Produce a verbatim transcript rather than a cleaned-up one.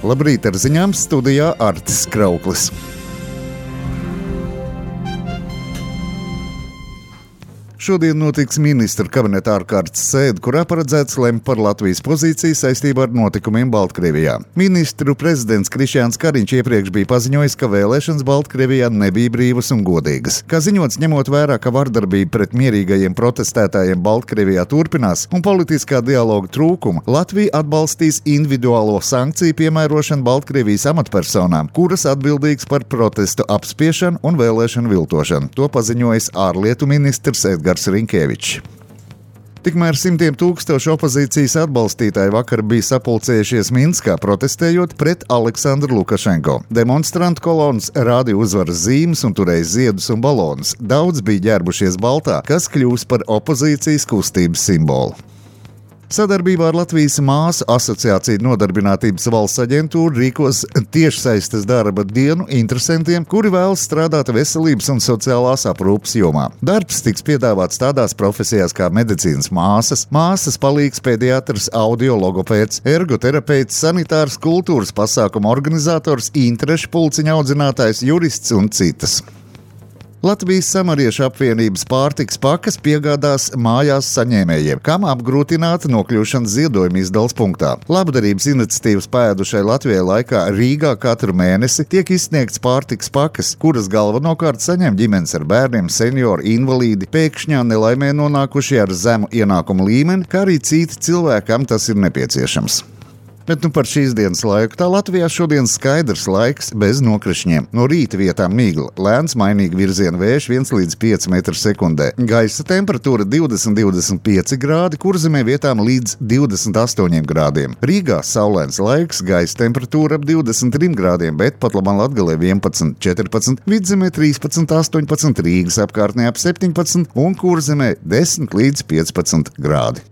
Labrīt, ar ziņām studijā Artis Krauklis. Šodien notiks ministru kabineta ārkārtas sēde, kurā paredzēts lemt par Latvijas pozīciju saistībā ar notikumiem Baltkrievijā. Ministru prezidents Krišjāns Kariņš iepriekš bija paziņojis, ka vēlēšanas Baltkrievijā nebija brīvas un godīgas. Kā ziņots, ņemot vērā, ka vardarbība pret mierīgajiem protestētājiem Baltkrievijā turpinās un politiskā dialoga trūkuma, Latvija atbalstīs individuālo sankciju piemērošanu Baltkrievijas amatpersonām, kuras atbildīgas par protestu apspiešanu un vēlēšanu viltošanu. To paziņojis ārlietu ministrs Edgars Rinkēvičs. Tikmēr simtiem tūkstošu opozīcijas atbalstītāji vakar bija sapulcējušies Minskā, protestējot pret Aleksandru Lukašenko. Demonstrantu kolonas rādīja uzvaras zīmes un turēja ziedus un balonus. Daudz bija ģērbušies baltā, kas kļūs par opozīcijas kustības simbolu. Sadarbībā ar Latvijas māsu asociāciju Nodarbinātības valsts aģentūra rīkos tiešsaistes darba dienu interesantiem, kuri vēlas strādāt veselības un sociālās aprūpes jomā. Darbs tiks piedāvāts tādās profesijās kā medicīnas māsas, māsas palīgs pediatrs, audiologopēds, ergoterapeits, sanitārs, kultūras pasākuma organizators, interešu pulciņa audzinātājs, jurists un citas. Latvijas Samariešu apvienības pārtikas pakas piegādās mājās saņēmējiem, kam apgrūtināta nokļūšana ziedojuma izdales punktā. Labdarības iniciatīvas pēdušai Latvijai laikā Rīgā katru mēnesi tiek izsniegts pārtikas pakas, kuras galvenokārt saņem ģimenes ar bērniem, seniori, invalīdi, pēkšņā nelaimē nonākušie ar zemu ienākumu līmeni, kā arī citi cilvēkam tas ir nepieciešams. Bet nu par šīs dienas laiku. Tā Latvijā šodien skaidrs laiks bez nokrišņiem. No rīta vietām migla, lēns mainīgi virziena vējš viens līdz pieci metri sekundē. Gaisa temperatūra divdesmit līdz divdesmit pieci grādi, Kurzemē vietām līdz divdesmit astoņiem grādiem. Rīgā saulains laiks, gaisa temperatūra ap divdesmit trim grādiem, bet pat labāk Latgalē vienpadsmit, četrpadsmit, Vidzemē trīspadsmit, astoņpadsmit, Rīgas apkārtnē ap septiņpadsmit un Kurzemē desmit līdz piecpadsmit grādi.